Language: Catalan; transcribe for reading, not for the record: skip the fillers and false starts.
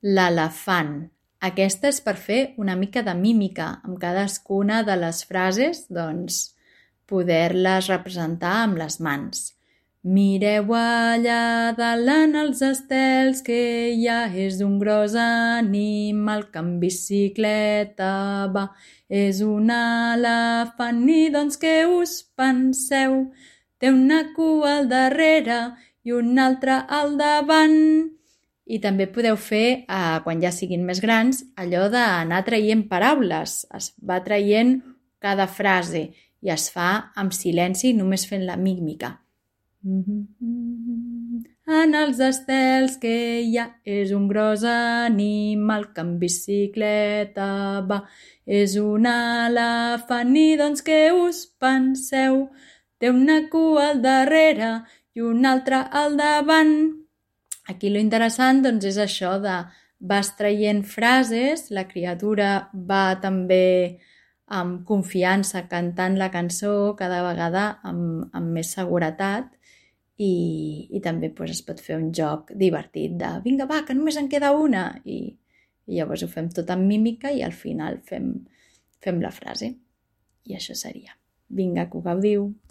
l'elefant. Aquesta és per fer una mica de mímica amb cadascuna de les frases, doncs poder-les representar amb les mans. Mireu allà dalt en els estels que ja és un gros animal que en bicicleta va. És un elefant i doncs què us penseu? Té una cua al darrere i una altra al davant. I també podeu fer, quan ja siguin més grans, allò d'anar traient paraules. Es va traient cada frase i es fa amb silenci només fent la mímica. En els estels que hi ha és un gros animal que en bicicleta va. És un elefant i doncs què us penseu? Té una cua al darrere i una altra al davant. Aquí lo interessant doncs, és això de vas traient frases, la criatura va també amb confiança cantant la cançó cada vegada amb més seguretat i també es pot fer un joc divertit de vinga va, que només en queda una i llavors ho fem tot amb mímica i al final fem la frase. I això seria. Vinga, que ho gaudiu!